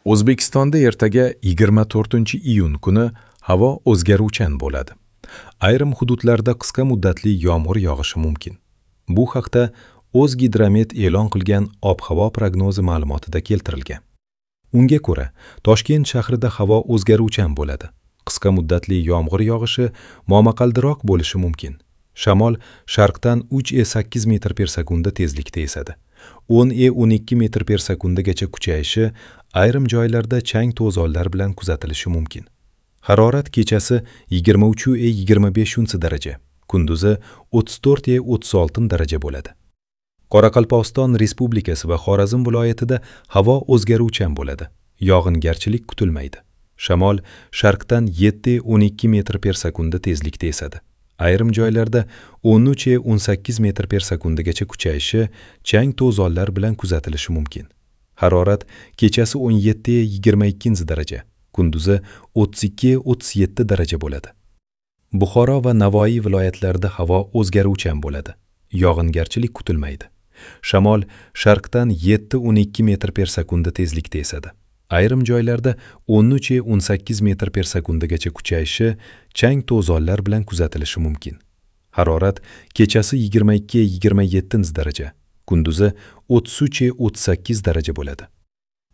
O'zbekistonda ertaga 24-iyun kuni havo o'zgaruvchan bo'ladi. Ayrim hududlarda qisqa muddatli yomg'ir yog'ishi mumkin. Bu haqda O'zgidromet e'lon qilgan ob-havo prognozi ma'lumotida keltirilgan. Unga ko'ra, Toshkent shahrida havo o'zgaruvchan bo'ladi. Qisqa muddatli yomg'ir yog'ishi momaqaldiroq bo'lishi mumkin. Shamol sharqdan 3,8 metr per sekunda tezlikda esadi. 10,12 metr per sekundagacha kuchayishi, ayrim joylarda chang to'zonlar bilan kuzatilishi mumkin. Harorat kechasi 23,25 daraja, kunduzi 34,36 daraja bo'ladi. Qoraqalpog'iston Respublikasi va Xorazm viloyatida havo o'zgaruvchan bo'ladi. Yog'ingarchilik kutilmaydi. Shamol sharqdan 7,12 metr per sekunda tezlikda esadi. Ayrim joylarda 13,18 metr per sekundagacha kuchayishi, chang to'zonlar bilan kuzatilishi mumkin. Harorat kechasi 17,22 daraja, kunduzi 32,37 daraja bo'ladi. Buxoro va Navoiy viloyatlarida havo o'zgaruvchan bo'ladi. Yog'ingarchilik kutilmaydi. Shamol sharqdan 7,12 metr per sekunda tezlikda esadi. Ayrim joylarda 13,18 metr per sekundagacha kuchayishi, chang to'zonlar bilan kuzatilishi mumkin. Harorat kechasi 22,27 daraja, kunduzi 33,38 daraja bo'ladi.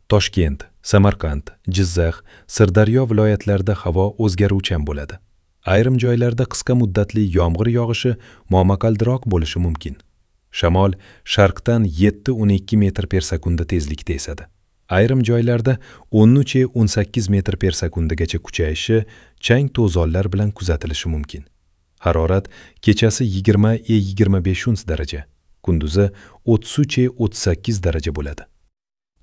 Toshkent, Samarqand, Jizzax, Sirdaryo viloyatlarida havo o'zgaruvchan bo'ladi. Ayrim joylarda qisqa muddatli yomg'ir yog'ishi momaqaldiroq bo'lishi mumkin. Shamol sharqdan 7,12 metr per sekunda tezlikda esadi. Ayrim joylarda 13,18 metr per sekundagacha kuchayishi, chang to'zonlar bilan kuzatilishi mumkin. Harorat kechasi 20,25 daraja, kunduzi 33,38 daraja bo'ladi.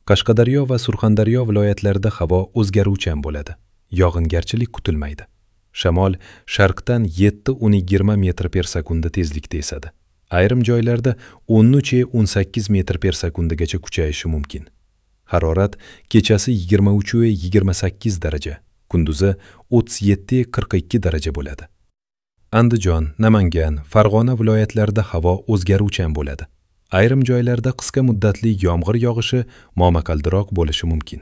Qashqadaryo va Surxondaryo viloyatlarida havo o'zgaruvchan bo'ladi. Yog'ingarchilik kutilmaydi. Shamol sharqdan 7,20 metr per sekunda tezlikda esadi. Ayrim joylarda 13,18 metr per sekundagacha kuchayishi mumkin. Harorat kechasi 23,28 daraja, kunduzi 37,42 daraja bo'ladi. Andijon, Namangan, Farg'ona viloyatlarida havo o'zgaruvchan bo'ladi. Ayrim joylarda qisqa muddatli yomg'ir yog'ishi momaqaldiroq bo'lishi mumkin.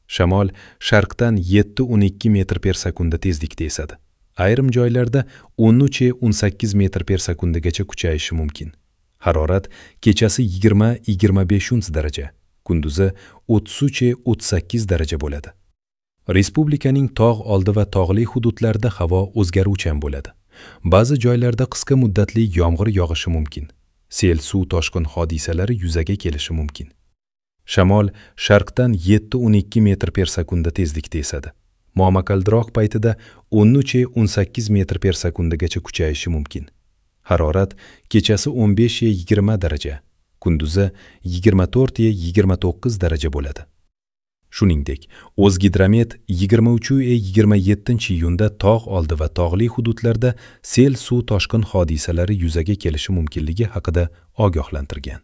Shamol sharqdan 7,12 metr per sekunda tezlikda esadi. Ayrim joylarda 13,18 metr per sekundagacha kuchayishi mumkin. Harorat kechasi 20,25 daraja, kunduzi 33,38 daraja bo'ladi. Respublikaning tog' oldi va tog'li hududlarida havo o'zgaruvchan bo'ladi. Ba'zi joylarda qisqa muddatli yomg'ir yog'ishi mumkin. Sel, suv toshqin hodisalari yuzaga kelishi mumkin. Shamol sharqdan 7,12 metr per sekunda tezlikda esadi. Momaqaldiroq paytida 13,18 metr per sekundagacha kuchayishi mumkin. Harorat kechasi 15,20 daraja, kunduzi 24,29 daraja bo'ladi. Shuningdek, O'zgidromet 23,27-iyunda tog' oldi va tog'li hududlarda sel, suv toshqin hodisalari yuzaga kelishi mumkinligi haqida ogohlantirgan.